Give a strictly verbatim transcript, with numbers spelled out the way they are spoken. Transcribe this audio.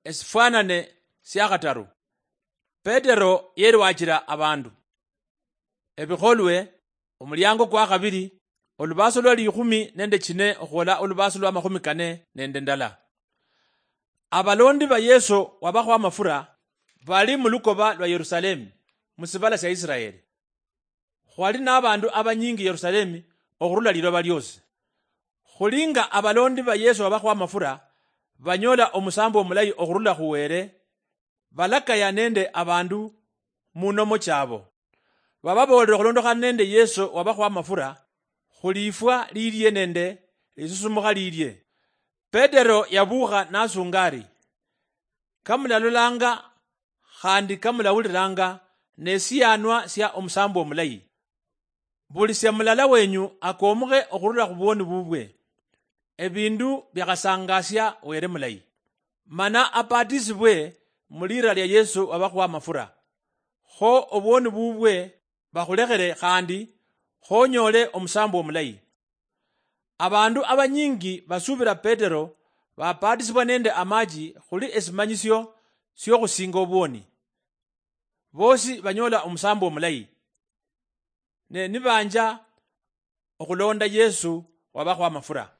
Esifwanane siakhataru. Petero yerwachira abandu. Ebikholwe, omuliango kwa khabiri, olubaso lwa likhumi nende chine okhwola olubaso lwa makhumi kane nende ndala. Abalondi ba Yesu wabakho amafura bali mu lukoba lwa Yerusalemu, mu sibala sia Isiraeli. Khwali nabandu abanyingi Yerusalemu okhurula liloba liosi. Khulinga abalondi ba Yesu wabakho amafura banyola omusambo omulayi okhurula khu Wele, balakaya nende abandu mu nomo chabo. Bababoolera okhulondokhana nende Yesu wabakho amafura, khulifwa lilie nende lisusumukha lilie. Petero yabukha nasunga ari, "Kamulalolanga khandi kamulawulilanga nesianwa sia omusambo omulayi. Buli sia mulala wenyu akomukhe okhurula khu bwoni bubwe, ebindu biakhasangasia Wele mulayi, mana apatisibwe mu lira lia Yesu wabakhuwa amafura, kho obwoni bubwe bakhulekhere khandi khonyole omusambo omulayi." Abandu abanyingi basubira Petero bapatisibwa nende amachi khuli esimanyisio siokhusinga obwoni. Bosi banyola omusambo omulayi, ne nibanja okhulonda Yesu wabakho amafura.